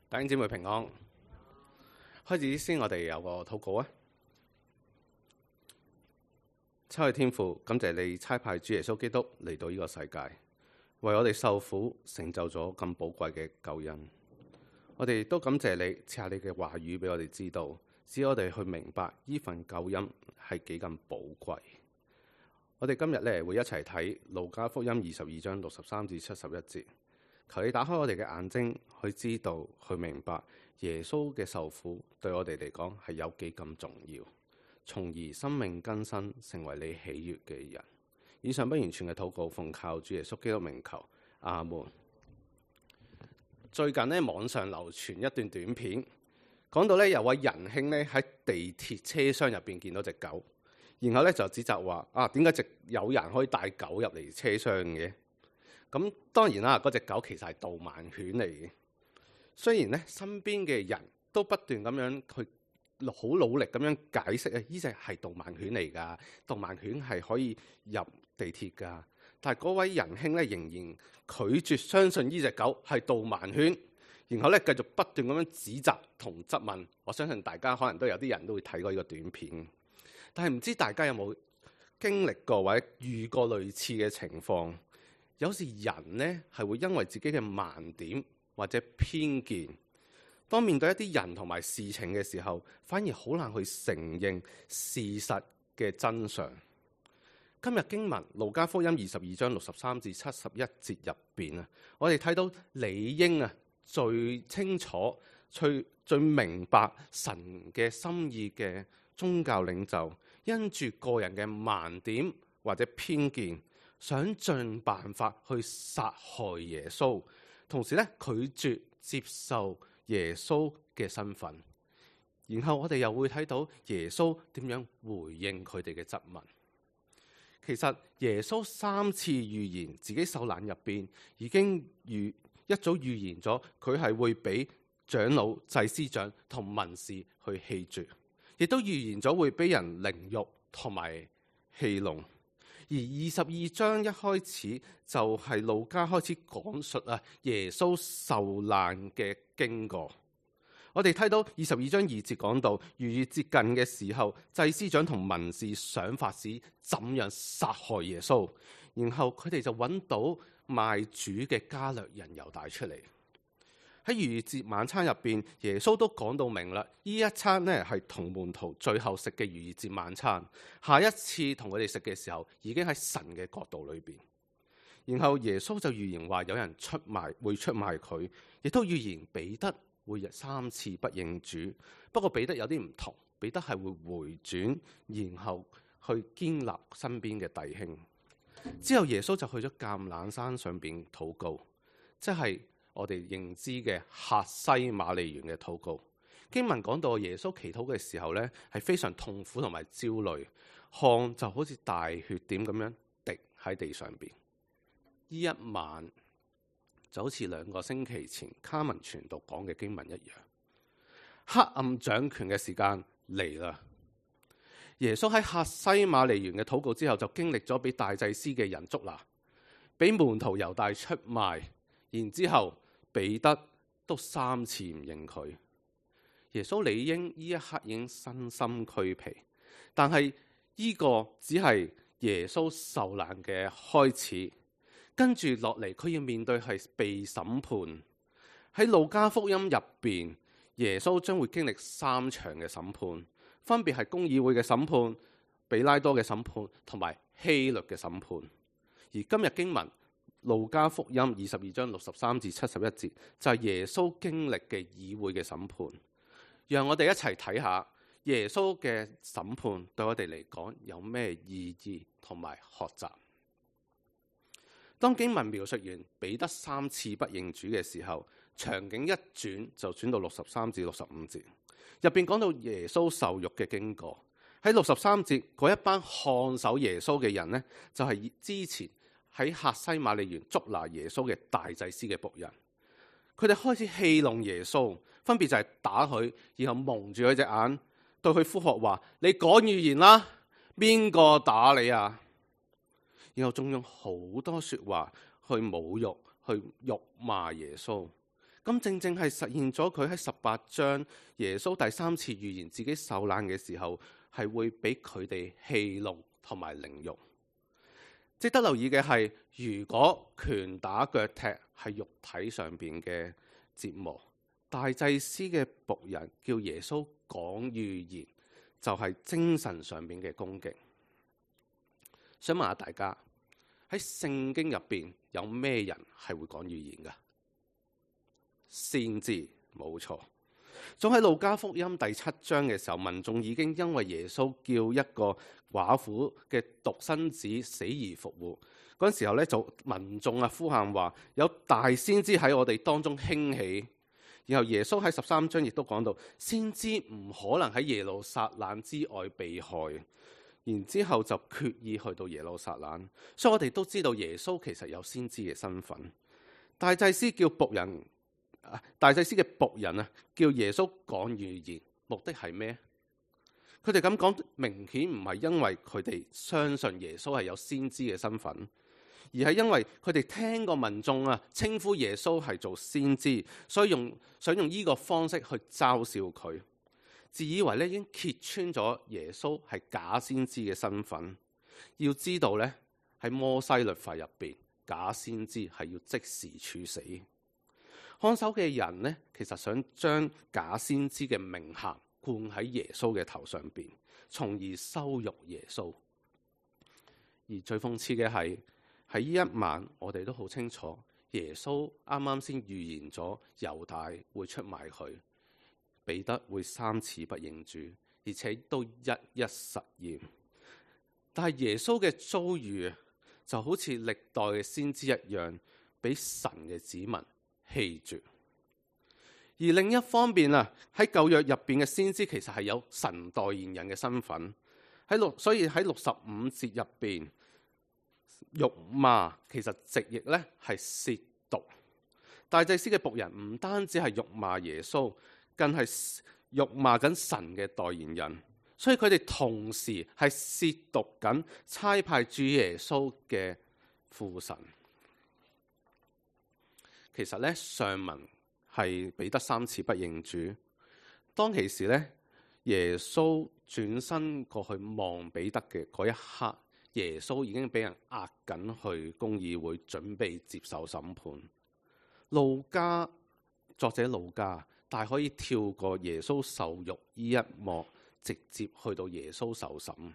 弟兄姊妹平安。開始先，我哋有個禱告啊！親愛天父，感謝你差派主耶穌基督嚟到呢個世界，為我哋受苦，成就咗咁寶貴嘅救恩。我哋都感謝你賜下你嘅話語俾我哋知道，使我哋去明白呢份救恩係幾咁寶貴。我哋今日咧會一齊睇路加福音22章63至71節。求你打開我哋嘅眼睛，去知道、去明白耶穌嘅受苦對我哋嚟講係有幾咁重要，從而生命更新，成為你喜悅嘅人。以上不完全嘅禱告，奉靠主耶穌基督名求，阿門。最近呢，網上流傳一段短片，講到呢有位仁兄呢喺地鐵車廂入邊見到隻狗，然後呢就指責話點解有人可以帶狗入嚟車廂嘅？咁當然啦，嗰隻狗其實係導盲犬嚟嘅。雖然咧身邊嘅人都不斷咁樣去好努力咁樣解釋啊，呢隻係導盲犬嚟㗎，導盲犬係可以入地鐵㗎。但係嗰位仁兄咧仍然拒絕相信呢隻狗係導盲犬，然後咧繼續不斷咁樣指責同質問。我相信大家可能都有啲人都會睇過呢個短片，但係唔知大家有冇經歷過或者遇過類似嘅情況？有時人呢係會因為自己嘅盲點或者偏見，當面對一啲人同埋事情嘅時候，反而好難去承認事實嘅真相。今日經文路加福音22章63至71節入邊啊，我哋睇到理應最清楚、最明白神嘅心意嘅宗教領袖，因住個人嘅盲點或者偏見，想盡辦法去殺害耶穌，同時咧拒絕接受耶穌嘅身份。然後我哋又會睇到耶穌點樣回應佢哋嘅質問。其實耶穌3次預言自己受難入邊，已經一早預言咗佢係會俾長老、祭司長同文士去棄絕，亦都預言咗會俾人凌辱同埋戲弄。而22章一開始就係路加開始講述耶穌受難嘅經過。我哋睇到22章2節講到，逾越接近嘅時候，祭司長同文士想法子怎樣殺害耶穌，然後佢哋就揾到賣主嘅加略人猶大出嚟。喺逾越節晚餐入邊，耶穌都講到明啦，呢一餐呢係同門徒最後食嘅逾越節晚餐。下一次同佢哋食嘅時候，已經喺神嘅國度裏邊。然後耶穌就預言話有人會出賣佢，亦都預言彼得會3次不認主。不過彼得有啲唔同，彼得係會回轉，然後去堅立身邊嘅弟兄。之後耶穌就去咗橄欖山上邊禱告，即係我哋認知嘅客西馬尼園嘅禱告。經文講到耶穌祈禱嘅時候呢，係非常痛苦同埋焦慮，汗就好似大血點咁樣滴喺地上邊。呢一晚就好似2個星期前卡文傳道講嘅經文一樣，黑暗掌權嘅時間嚟啦。耶穌喺客西馬尼園嘅禱告之後，就經歷咗俾大祭司嘅人捉拿，俾門徒猶大出賣，然之後彼得都3次唔認佢。耶穌理應呢一刻已經身心俱疲，但係呢個只係耶穌受難嘅開始。跟住落嚟，佢要面對係被審判。喺路加福音入邊，耶穌將會經歷3場嘅審判，分別係公議會嘅審判、比拉多嘅審判同埋希律嘅審判。而今日經文路加福音22章63至71節，就係耶穌經歷嘅議會嘅審判。讓我哋一齊睇下耶穌嘅審判對我哋嚟講有咩意義同埋學習。當經文描述完彼得3次不認主嘅時候，場景一轉就轉到63至65節，入邊講到耶穌受辱嘅經過。喺63節嗰一班看守耶穌嘅人呢，就係之前喺客西馬尼園捉拿耶穌嘅大祭司嘅僕人。佢哋開始戲弄耶穌，分別就係打佢，然後蒙住佢隻眼，對佢呼喝話：你講預言啦，邊個打你啊？然後仲用好多說話去侮辱、去辱罵耶穌。咁正正係實現咗佢喺18章耶穌第3次預言自己受難嘅時候，係會俾佢哋戲弄同埋凌辱。值得留意嘅係，如果拳打腳踢係肉體上邊嘅折磨，大祭司嘅僕人叫耶穌講預言，就係精神上邊嘅攻擊。想問下大家，喺聖經入邊有咩人係會講預言㗎？先知，冇錯。仲喺路加福音第7章嘅時候，民眾已經因為耶穌叫一個寡婦嘅獨生子死而復活嗰陣時候咧，就民眾呼喊話有大先知喺我哋當中興起。然後耶穌喺13章亦都講到，先知唔可能喺耶路撒冷之外被害。然之後就決意去到耶路撒冷。所以我哋都知道耶穌其實有先知嘅身份。大祭司嘅僕人叫耶穌講預言，目的係咩？佢哋咁講，明顯唔係因為佢哋相信耶穌係有先知嘅身份，而係因為佢哋聽過民眾稱呼耶穌係做先知，所以想用呢個方式去嘲笑佢，自以為咧已經揭穿咗耶穌係假先知嘅身份。要知道咧，喺摩西律法入邊，假先知係要即時處死。看守嘅人呢，其實想將假先知嘅名銜冠喺耶穌嘅頭上邊，從而羞辱耶穌。而最諷刺嘅係喺呢一晚，我哋都好清楚，耶穌啱啱先預言咗猶大會出賣佢，彼得會3次不認主，而且都一一實現。但係耶穌嘅遭遇就好似歷代嘅先知一樣，俾神嘅子民棄絕。而另一方面喺舊約入邊嘅先知其實係有神代言人嘅身份，所以喺65節入邊，辱罵其實直譯咧係褻瀆。大祭司嘅僕人唔單止係辱罵耶穌，更係辱罵緊神嘅代言人，所以佢哋同時係褻瀆緊差派主耶穌嘅父神。其實咧，上文係彼得3次不認主。當其時咧，耶穌轉身過去望彼得嘅嗰一刻，耶穌已經俾人押緊去公議會，準備接受審判。作者路加，但係可以跳過耶穌受辱呢一幕，直接去到耶穌受審。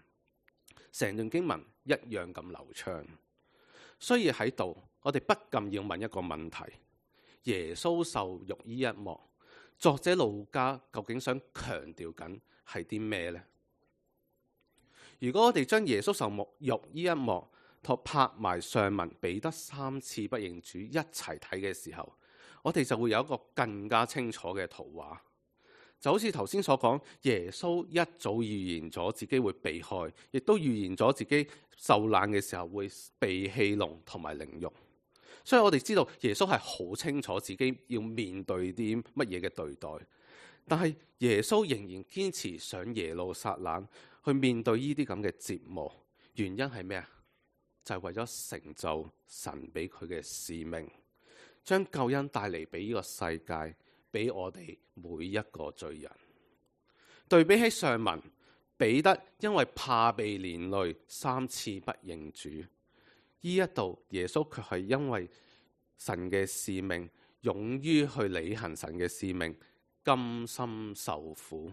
成段經文一樣咁流暢。所以喺度，我哋不禁要問一個問題。耶穌受辱呢一幕，作者路加究竟想強調緊係啲咩呢？如果我哋將耶穌受辱呢一幕同拍埋上文彼得3次不認主一齊睇嘅時候，我哋就會有一個更加清楚嘅圖畫。就好似頭先所講，耶穌一早預言咗自己會被害，亦都預言咗自己受難嘅時候會被戲弄同埋凌辱。所以我哋知道耶穌係好清楚自己要面對啲乜嘢嘅對待，但係耶穌仍然堅持上耶路撒冷去面對呢啲咁嘅折磨。原因係咩啊？就係為咗成就神俾佢嘅使命，將救恩帶嚟俾呢個世界，俾我哋每一個罪人。對比起上文，彼得因為怕被連累3次不認主。呢一度耶穌卻係因為神嘅使命，勇於去履行神嘅使命，甘心受苦。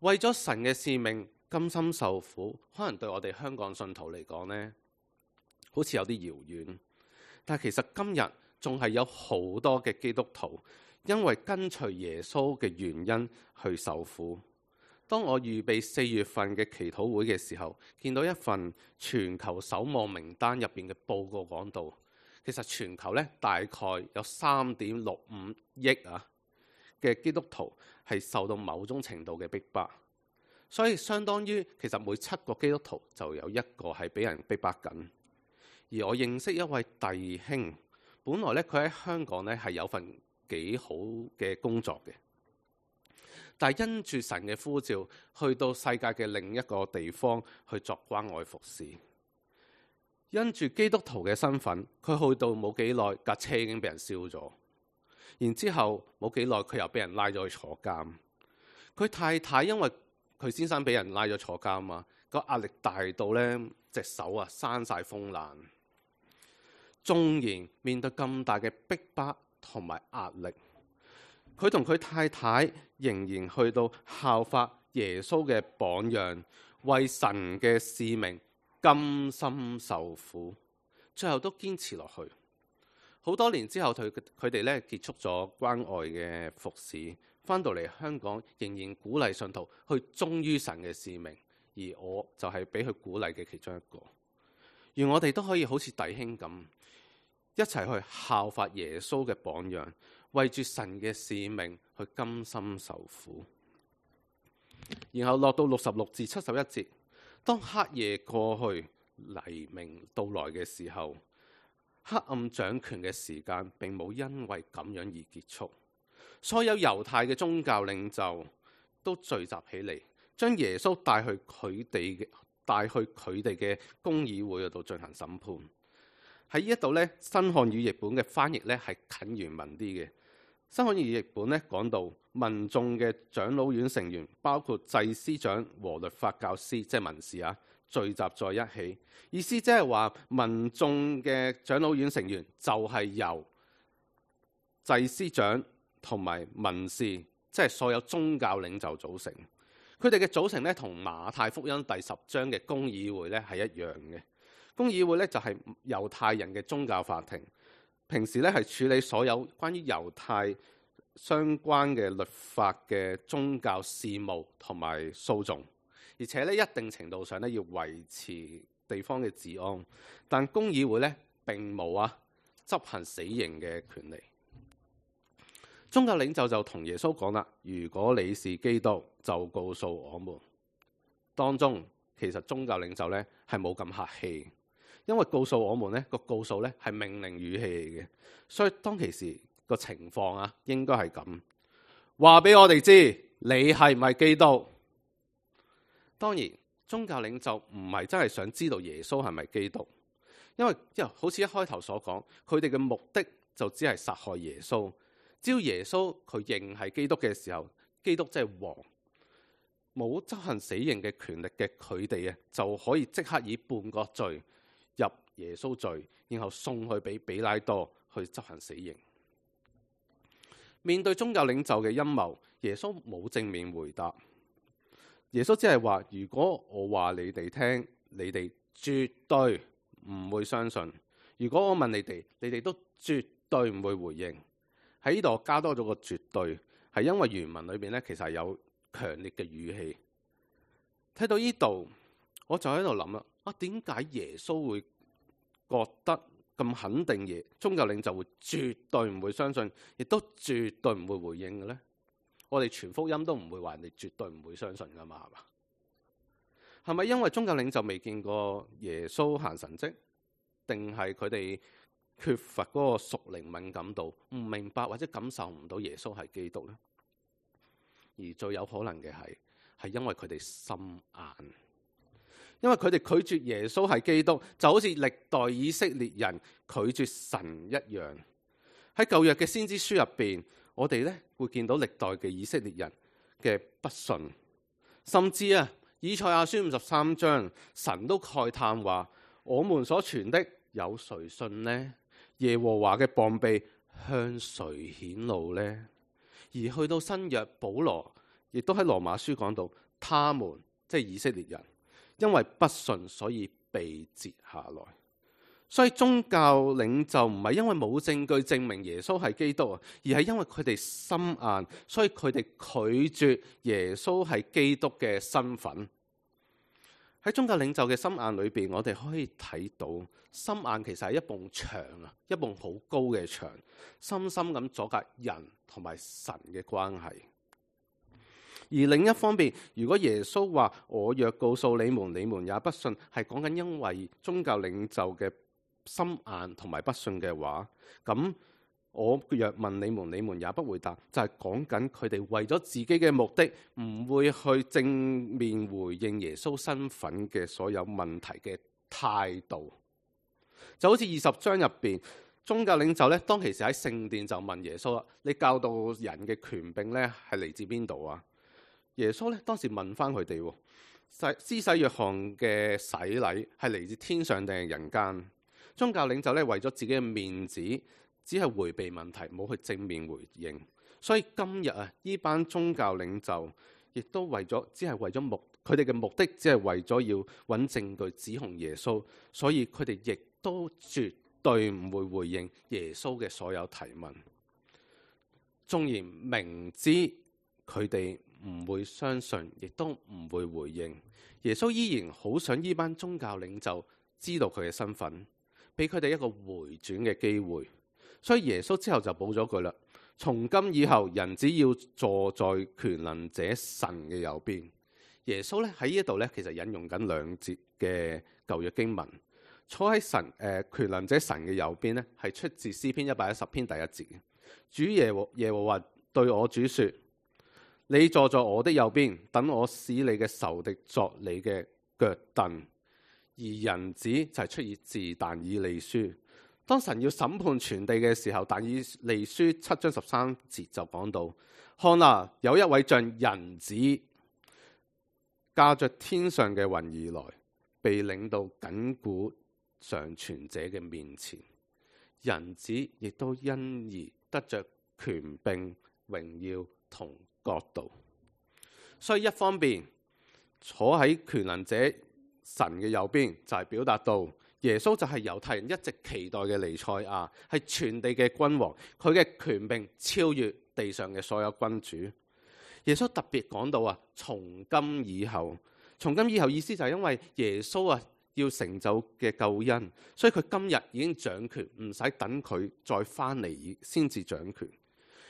為咗神嘅使命，甘心受苦，可能對我哋香港信徒嚟講呢，好似有啲遙遠。但其實今日仲係有好多嘅基督徒，因為跟隨耶穌嘅原因去受苦。當我預備4月份嘅祈禱會嘅時候，見到一份全球守望名單入邊嘅報告講到，其實全球咧大概有3.65億嘅基督徒係受到某種程度嘅逼迫，所以相當於其實每7個基督徒就有1個係俾人逼迫緊。而我認識一位弟兄，本來咧佢喺香港咧係有份幾好嘅工作嘅。但係因住神嘅呼召，去到世界嘅另一個地方去作關愛服侍。因住基督徒嘅身份，佢去到冇幾耐，架車已經俾人燒咗。然之後冇幾耐佢又俾人拉咗去坐監。佢太太因為佢先生俾人拉咗坐監啊，個壓力大到呢隻手啊生晒風癩。縱然面對咁大嘅逼迫同埋壓力，佢同佢太太仍然去到效法耶穌嘅榜樣，為神嘅使命甘心受苦，最後都堅持落去。好多年之後，佢哋咧結束咗關愛嘅服侍，翻到嚟香港仍然鼓勵信徒去忠於神嘅使命，而我就係俾佢鼓勵嘅其中一個。願我哋都可以好似弟兄咁，一齊去效法耶穌嘅榜樣，為住神嘅使命去甘心受苦。然後落到66至71節，當黑夜過去，黎明到來嘅時候，黑暗掌權嘅時間並冇因為咁樣而結束。所有猶太嘅宗教領袖都聚集起嚟，將耶穌帶去佢哋嘅公議會嗰度進行審判。喺呢一度呢，新漢語譯本嘅翻譯呢係近原文啲嘅。新漢語譯本呢講到民眾嘅長老院成員，包括祭司長和律法教師，即係文士啊，聚集在一起。意思即係話民眾嘅長老院成員就係由祭司長同埋文士，即係所有宗教領袖組成。佢哋嘅組成呢，同馬太福音第10章嘅公議會呢係一樣嘅。公議會呢，就係猶太人嘅宗教法庭，平時呢係處理所有關於猶太相關嘅律法嘅宗教事務同埋訴訟，而且呢，一定程度上呢要維持地方嘅治安。但公議會呢並冇執行死刑嘅權利。宗教領袖就同耶穌講啦：如果你是基督，就告訴我們。當中其實宗教領袖呢係冇咁客氣，因為告訴我們呢個告訴呢係命令語氣嚟嘅，所以當其時個情況應該係咁，話俾我哋知你係唔係基督。當然宗教領袖唔係真係想知道耶穌係咪基督，因為好似一開頭所講，佢哋嘅目的就只係殺害耶穌。只要耶穌佢認係基督嘅時候，基督即係王，冇執行死刑嘅權力嘅佢哋就可以即刻以叛國罪入耶穌罪，然後送去俾彼拉多去執行死刑。面對宗教領袖嘅陰謀，耶穌冇正面回答。耶穌只係話：如果我話你哋聽，你哋絕對唔會相信；如果我問你哋，你哋都絕對唔會回應。喺呢度加多咗個絕對，係因為原文裏邊其實係有強烈嘅語氣。睇到呢度，我就喺度諗啦，點解耶穌會覺得咁肯定宗教領袖會絕對唔會相信，亦都絕對唔會回應嘅呢？我哋傳福音都唔會話人哋絕對唔會相信噶嘛，係嘛？係咪因為宗教領袖未見過耶穌行神蹟，定係佢哋缺乏嗰個屬靈敏感度，唔明白或者感受唔到耶穌係基督呢？而最有可能嘅係因為佢哋心硬，因為佢哋拒絕耶穌係基督，就好似歷代以色列人拒絕神一樣。喺舊約嘅先知書入邊，我哋會見到歷代嘅以色列人嘅不信，甚至以賽亞書53章，神都慨嘆話：我們所傳的有誰信呢？耶和華嘅膀臂向誰顯露呢？而去到新約，保羅亦都喺羅馬書講到，他們即係以色列人，因為不信，所以被截下來。所以宗教領袖唔係因為冇證據證明耶穌係基督而係因為佢哋心硬，所以佢哋拒絕耶穌係基督嘅身份。喺宗教領袖嘅心硬裏邊，我哋可以睇到心硬其實係一埲牆，一埲好高嘅牆，深深咁阻隔人同埋神嘅關係。而另一方面，如果耶穌話我若告訴你們，你們也不信，係講緊因為宗教領袖嘅心硬同埋不信嘅話，咁我若問你們，你們也不回答，就係講緊佢哋為咗自己嘅目的，唔會去正面回應耶穌身份嘅所有問題嘅態度。就好似20章入邊，宗教領袖咧，當其時喺聖殿就問耶穌啦：你教導人嘅權柄咧，係嚟自邊度啊？耶穌咧當時問翻佢哋：施洗約翰嘅洗禮係嚟自天上定係人間？宗教領袖咧為咗自己嘅面子，只係迴避問題，冇去正面回應。所以今日啊，呢班宗教領袖亦都只係為咗佢哋嘅目的，只係為咗要揾證據指控耶穌，所以佢哋亦都絕對唔會回應耶穌嘅所有提問。縱然明知佢哋唔會相信，亦都唔會回應，耶穌依然好想呢班宗教領袖知道佢嘅身份，俾佢哋一個回轉嘅機會。所以耶穌之後就補咗句啦：從今以後，人只要坐在權能者神嘅右邊。耶穌咧喺呢一度咧，其實引用緊2節嘅舊約經文。坐喺權能者神嘅右邊咧，係出自詩篇110篇第1節嘅。主耶和華對我主說：你坐在我的右邊，等我使你嘅仇敵作你嘅腳凳。而人子就係出自但以理書。當神要審判全地嘅時候，但以理書7章13節就講到：看啊，有一位像人子駕着天上嘅雲而來，被領到亙古常存者嘅面前。人子亦都因而得着權柄、榮耀同國度。所以一方面坐喺權能者神嘅右邊，就係表達到耶穌就係猶太人一直期待嘅彌賽亞，係全地嘅君王，佢嘅權柄超越地上嘅所有君主。耶穌特別講到啊，從今以後意思就係因為耶穌啊要成就嘅救恩，所以佢今日已經掌權，唔使等佢再翻嚟先至掌權。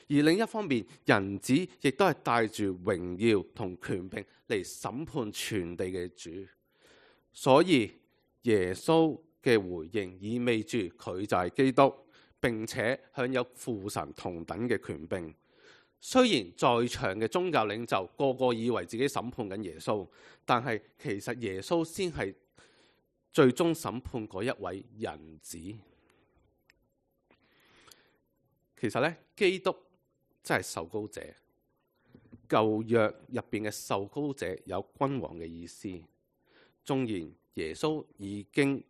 而另一方面，人子亦都係帶住榮耀同權柄嚟審判全地嘅主。所以耶穌嘅回應意味住佢就係基督，並且享有父神同等嘅權柄。雖然在場嘅宗教領袖個個以為自己審判緊耶穌，但係其實耶穌先係最終審判嗰一位人子。其實咧，基督真係受膏者。舊約入邊嘅受膏者有君王嘅意思。縱然耶穌已經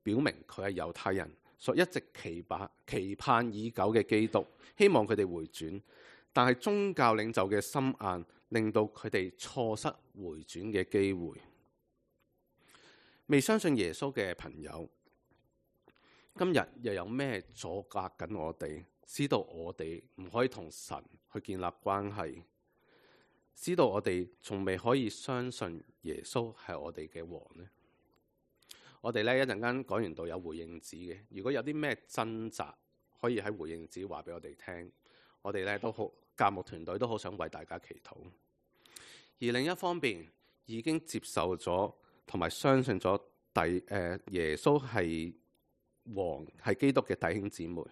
表明佢係猶太人所一直期盼已久嘅基督，希望佢哋回轉，但係宗教領袖嘅心硬，令到佢哋錯失回轉嘅機會。未相信耶穌嘅朋友，今日又有咩阻隔緊我哋，使到我哋唔可以同神去建立關係，使到我哋仲未可以相信耶穌係我哋嘅王呢？我哋咧一陣間講完道有回應紙嘅，如果有啲咩掙扎，可以喺回應紙話俾我哋聽。我哋咧都好，教牧團隊都好想為大家祈禱。而另一方面，已經接受咗同埋相信咗耶穌係王係基督嘅弟兄姊妹，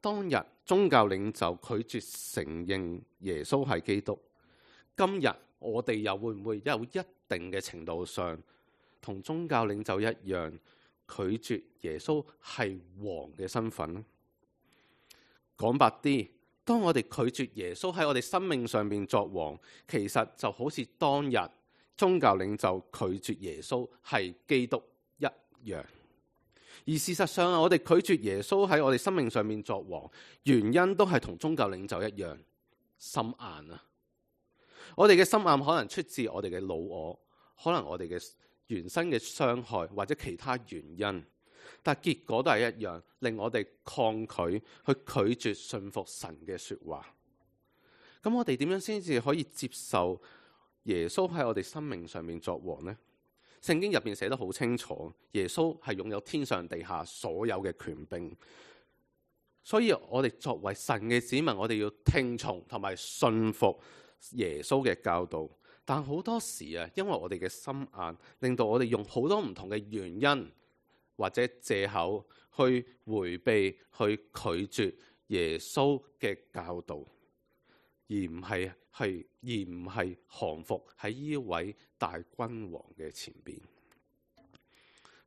當日宗教領袖拒絕承認耶穌係基督，今日我哋又會唔會有一定嘅程度上同宗教領袖一樣拒絕耶穌係王嘅身份呢？講白啲，當我哋拒絕耶穌喺我哋生命上面作王，其實就好似當日宗教領袖拒絕耶穌係基督一樣。而事實上，我哋拒絕耶穌喺我哋生命上面作王，原因都係同宗教領袖一樣，心硬啊！我哋嘅心硬可能出自我哋嘅老我，可能我哋嘅原生嘅傷害或者其他原因，但結果都係一樣，令我哋抗拒去拒絕信服神嘅說話。咁我哋點樣先至可以接受耶穌喺我哋生命上面作王呢？聖經入邊寫得好清楚，耶穌係擁有天上地下所有嘅權柄，所以我哋作為神嘅子民，我哋要聽從同埋信服耶穌嘅教導。但好多時啊，因為我哋嘅心硬，令到我哋用好多唔同嘅原因或者借口去迴避、去拒絕耶穌嘅教導，而唔係降服喺呢位大君王嘅前邊。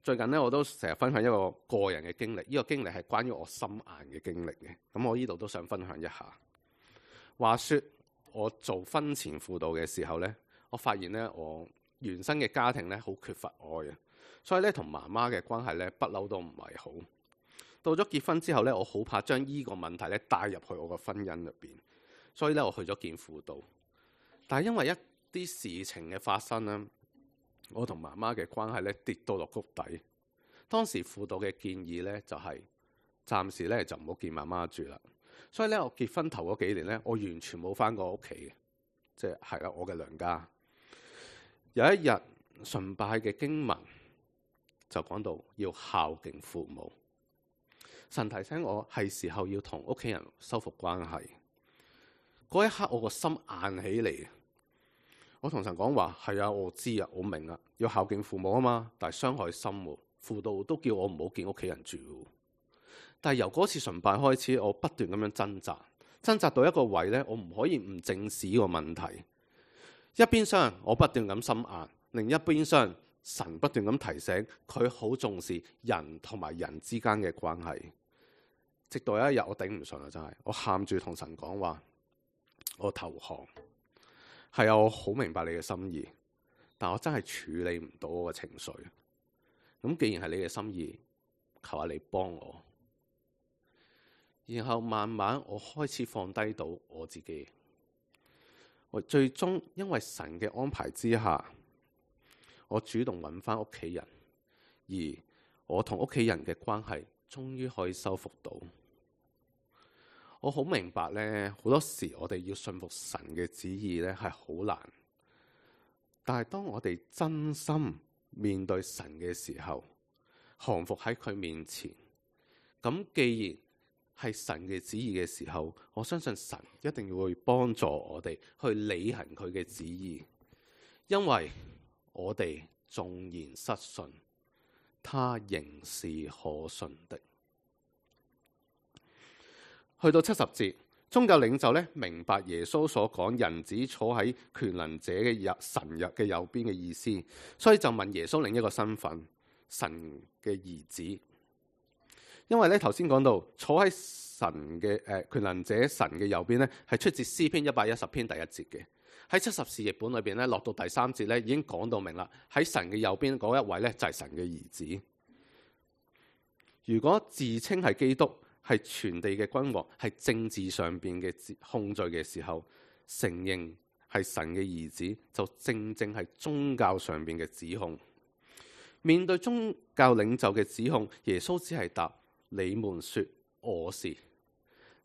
最近咧我都成日分享一個個人嘅經歷，呢個經歷係關於我心硬嘅經歷嘅。咁我呢度都想分享一下。話說我做婚前輔導嘅時候咧，我發現咧我原生嘅家庭咧好缺乏愛啊，所以咧同媽媽嘅關係咧不嬲都唔係好。到咗結婚之後咧，我好怕將呢個問題咧帶入去我個婚姻入邊，所以咧我去咗見輔導。但係因為一啲事情嘅發生咧，我同媽媽嘅關係咧跌到落谷底。當時輔導嘅建議咧就係暫時咧就唔好見媽媽住啦。所以咧我結婚頭嗰幾年咧，我完全冇返過屋企嘅，即係啦我嘅娘家。有一日崇拜嘅經文就講到要孝敬父母，神提醒我係時候要同屋企人修復關係。嗰一刻我個心硬起嚟。我同神講話係啊，我知啊，我明啊，要孝敬父母啊嘛，但係傷害心喎。輔導都叫我唔好見屋企人住。但係由嗰次崇拜開始，我不斷咁樣掙扎到一個位咧，我唔可以唔正視呢個問題。一邊廂我不斷咁心硬，另一邊廂神不斷咁提醒佢好重視人同埋人之間嘅關係。直到有一日我頂唔順啦，真係我喊住同神講話，我投降。係啊，我好明白你嘅心意，但我真係處理唔到我嘅情緒。咁既然係你嘅心意，求下你幫我。然後慢慢我開始放低到我自己。我最終因為神嘅安排之下，我主動揾返屋企人，而我同屋企人嘅關係終於可以修復到。我好明白咧，好多時我哋要信服神嘅旨意咧係好難，但係當我哋真心面對神嘅時候，降服喺佢面前，咁既然係神嘅旨意嘅時候，我相信神一定會幫助我哋去履行佢嘅旨意，因為我哋縱然失信，他仍是可信的。去到70節，宗教領袖咧明白耶穌所講人子坐喺權能者嘅神嘅右邊嘅意思，所以就問耶穌另一個身份，神嘅兒子。因為咧頭先講到坐喺神嘅權能者神嘅右邊咧，係出自詩篇110篇第1節嘅。喺70士譯本裏邊咧，落到第3節咧已經講到明啦。喺神嘅右邊嗰一位咧就係神嘅兒子。如果自稱係基督，係全地嘅君王，係政治上邊嘅控罪嘅時候，承認係神嘅兒子，就正正係宗教上邊嘅指控。面對宗教領袖嘅指控，耶穌只係答：你們說我是。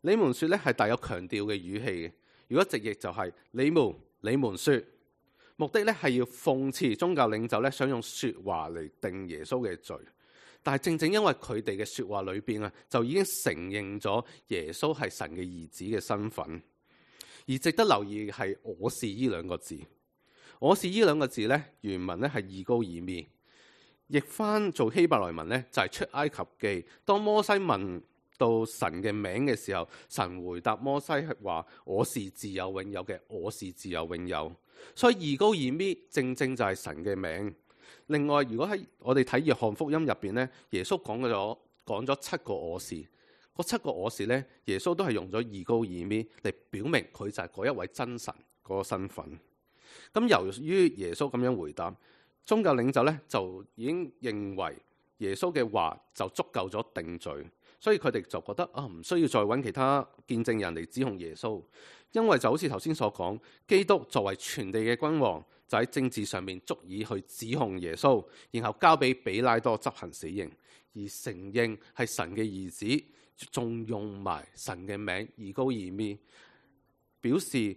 你們說咧係帶有強調嘅語氣嘅。如果直譯就係你們說，目的咧係要諷刺宗教領袖咧想用說話嚟定耶穌嘅罪。但係正正因為佢哋嘅說話裏邊啊，就已經承認咗耶穌係神嘅兒子嘅身份。而值得留意嘅係我是呢兩個字。我是呢兩個字咧，原文咧係義高爾咪，譯翻做希伯來文咧就係出埃及記。當摩西問到神嘅名嘅時候，神回答摩西係話：我是自有永有嘅，我是自有永有。所以義高爾咪正正就係神嘅名。另外，如果喺我哋睇約翰福音入邊咧，耶穌講咗7個我是，嗰7個我是咧，耶穌都係用咗義高爾咪嚟表明佢就係嗰一位真神嗰個身份。咁由於耶穌咁樣回答，宗教領袖咧就已經認為耶穌嘅話就足夠咗定罪，所以佢哋就覺得唔需要再揾其他見證人嚟指控耶穌，因為就好似頭先所講，基督作為全地嘅君王，就喺政治上面足以去指控耶穌，然後交俾比拉多執行死刑，而承認係神嘅兒子，仲用埋神嘅名義高爾咪，表示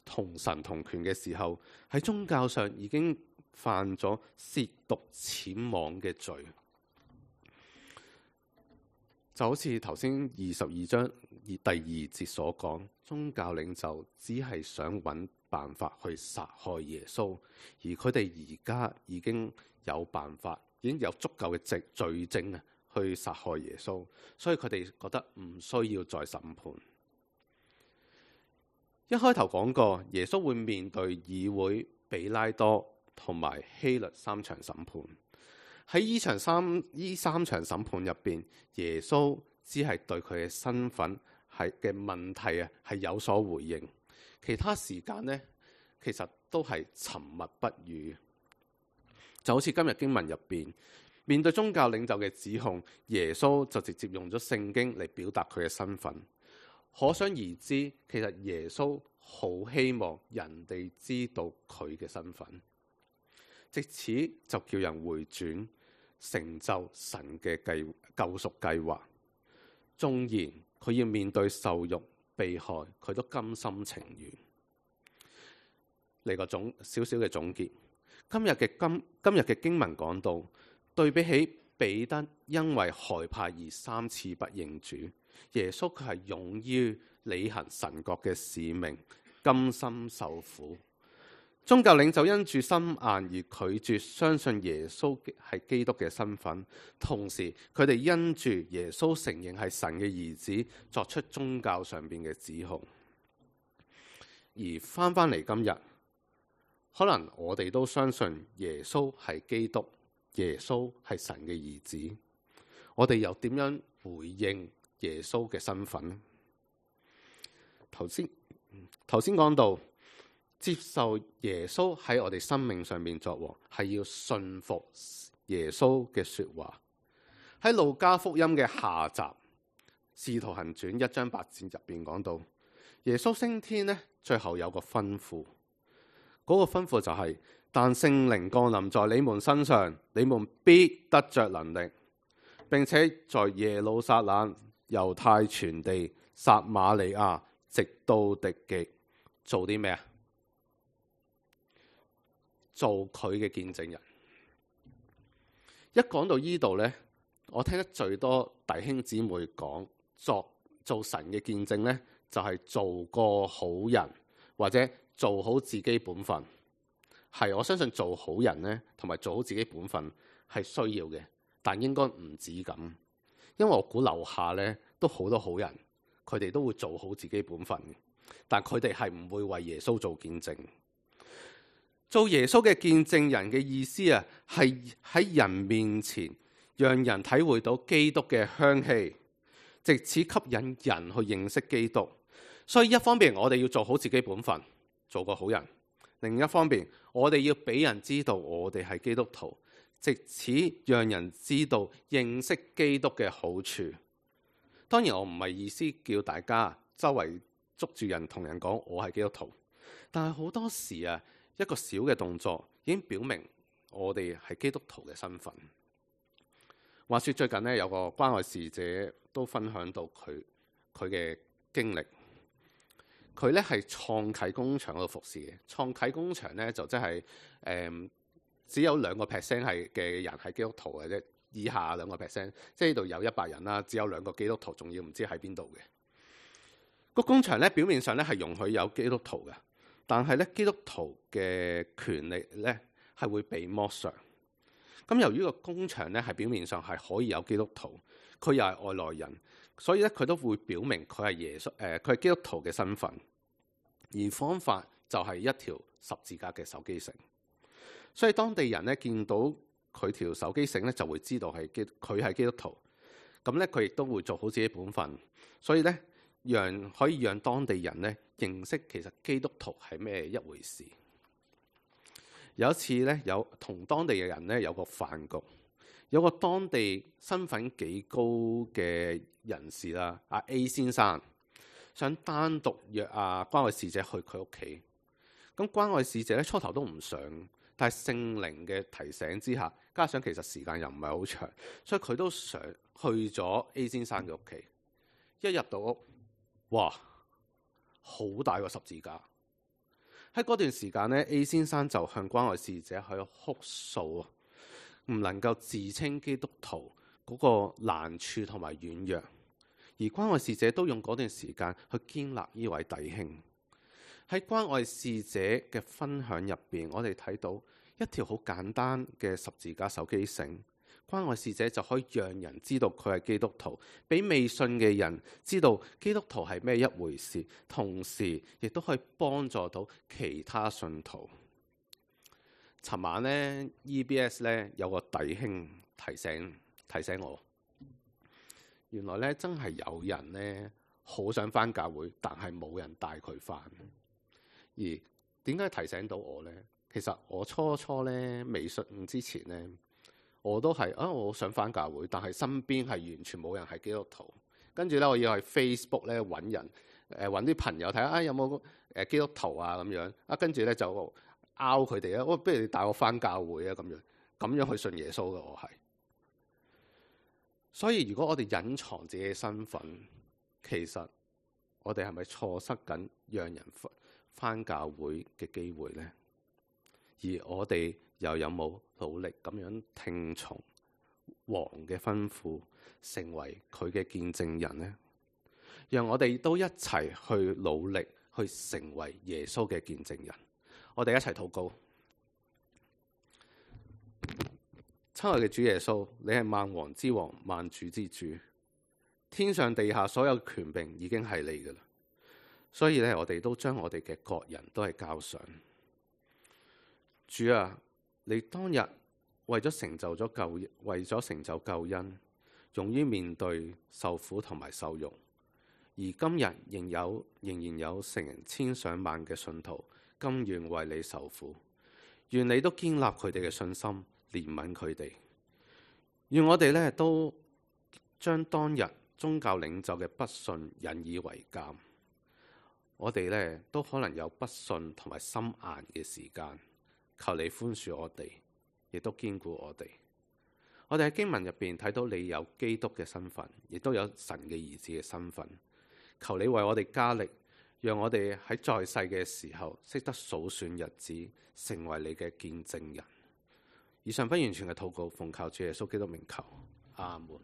同神同權嘅時候，喺宗教上已經犯咗褻瀆僭妄嘅罪。就好似頭先22章第2節所講，宗教領袖只係想揾辦法去殺害耶穌，而佢哋而家已經有辦法，已經有足夠嘅罪證啊，去殺害耶穌，所以佢哋覺得唔需要再審判。一開頭講過，耶穌會面對議會、比拉多同埋希律3場審判。喺呢三場審判入邊，耶穌只係對佢嘅身份係嘅問題係有所回應，其他時間呢，其實都係沉默不語。就好似今日經文入邊，面對宗教領袖嘅指控，耶穌就直接用咗聖經嚟表達佢嘅身份。可想而知，其實耶穌好希望人哋知道佢嘅身份，藉此就叫人回轉，成就神嘅救贖計劃。縱然佢要面對受辱、被害，佢都甘心情願。嚟個少少嘅總結，今日嘅經文講到，對比起彼得因為害怕而3次不認主，耶穌佢係勇於履行神國嘅使命，甘心受苦。宗教領袖因住心硬而拒絕相信耶穌係基督嘅身份，同時佢哋因住耶穌承認係神嘅兒子，作出宗教上邊嘅指控。而翻嚟今日，可能我哋都相信耶穌係基督，耶穌係神嘅兒子，我哋又點樣回應耶穌嘅身份呢？頭先講到，接受耶穌喺我哋生命上面作王，係要信服耶穌嘅說話。喺路加福音嘅下集《使徒行傳》1章8節入邊講到，耶穌升天呢，最後有個吩咐，嗰個吩咐就係：但聖靈降臨在你們身上，你們必得着能力，並且在耶路撒冷、猶太全地、撒瑪利亞，直到地極，做啲咩啊？做佢嘅見證人。一講到呢度呢，我聽得最多弟兄姊妹講做神嘅見證呢，就係做個好人，或者做好自己本分。係，我相信做好人呢，同埋做好自己本分係需要嘅，但應該唔止咁。因為我估樓下呢都好多好人，佢哋都會做好自己本分嘅，但佢哋係唔會為耶穌做見證。做耶穌嘅見證人嘅意思啊，係喺人面前讓人體會到基督嘅香氣，藉此吸引人去認識基督。所以一方面我哋要做好自己本分，做個好人；另一方面我哋要俾人知道我哋係基督徒，藉此讓人知道認識基督嘅好處。當然我唔係意思叫大家周圍捉住人同人講我係基督徒，但係好多時啊，一個小嘅動作已經表明我哋係基督徒嘅身份。話說最近呢，有個關愛使者都分享到佢嘅經歷。佢咧係創啟工場嗰度服侍嘅。創啟工場咧就即係只有2% 係嘅人係基督徒嘅啫，以下2%，即係呢度有100人啦，只有2個基督徒，仲要唔知喺邊度嘅。個工場咧表面上咧係容許有基督徒嘅。但係咧，基督徒嘅權利咧係會被剝削。咁由於個工場咧係表面上係可以有基督徒，佢又係外來人，所以咧佢都會表明佢係耶穌佢係基督徒嘅身份。而方法就係一條十字架嘅手機繩。所以當地人咧見到佢條手機繩咧，就會知道佢係基督徒。咁咧佢亦都會做好自己本分。所以咧可以讓當地人咧認識其實基督徒係咩一回事。有一次咧，同當地嘅人咧有個飯局，有個當地身份幾高嘅人士啦，阿 A 先生想單獨約關愛使者去佢屋企。咁關愛使者咧初頭都唔想，但係聖靈嘅提醒之下，加上其實時間又唔係好長，所以佢都想去咗 A 先生嘅屋企。一入到屋，哇！好大個十字架。喺嗰段時間呢， A 先生就向關愛使者去哭訴啊，唔能夠自稱基督徒嗰個難處同埋軟弱。而關愛使者都用嗰段時間去堅立呢位弟兄。喺關愛使者嘅分享入邊，我哋睇到一條好簡單嘅十字架手機繩。關愛使者就可以讓人知道佢係基督徒，俾未信嘅人知道基督徒係咩一回事，同時亦都可以幫助到其他信徒。尋晚咧 EBS 咧有個弟兄提醒我，原來咧真係有人咧好想返教會，但係冇人帶佢返。而點解提醒到我咧？其實我初咧未信之前咧，我都係我想返教會，但係身邊係完全冇人係基督徒。跟住咧，我要去 Facebook 咧揾人，揾啲朋友睇下有冇基督徒啊咁樣。跟住咧就拗佢哋啊，不如你帶我返教會啊咁樣去信耶穌嘅我係。所以如果我哋隱藏自己嘅身份，其實我哋係咪錯失緊讓人返教會嘅機會呢？而我哋又有冇努力咁樣聽從王嘅吩咐，成為佢嘅見證人呢？讓我哋都一齊去努力去成為耶穌嘅見證人。我哋一齊禱告。親愛嘅主耶穌，你係萬王之王、萬主之主，天上地下所有權柄已經係你㗎喇。所以咧，我哋都將我哋嘅各人都係交上。主啊，你當日為咗成就救恩，勇於面對受苦同埋受辱，而今日仍然有成千上萬嘅信徒甘願為你受苦。願你都堅立佢哋嘅信心，憐憫佢哋。願我哋咧都將當日宗教領袖嘅不信引以為鑑。我哋咧都可能有不信同埋心硬嘅時間，求你寬恕我哋，亦都堅固我哋。我哋喺經文入邊睇到你有基督嘅身份，亦都有神嘅兒子嘅身份。求你為我哋加力，讓我哋喺在世嘅時候識得數算日子，成為你嘅見證人。以上不完全嘅禱告，奉靠主耶穌基督名求，阿門。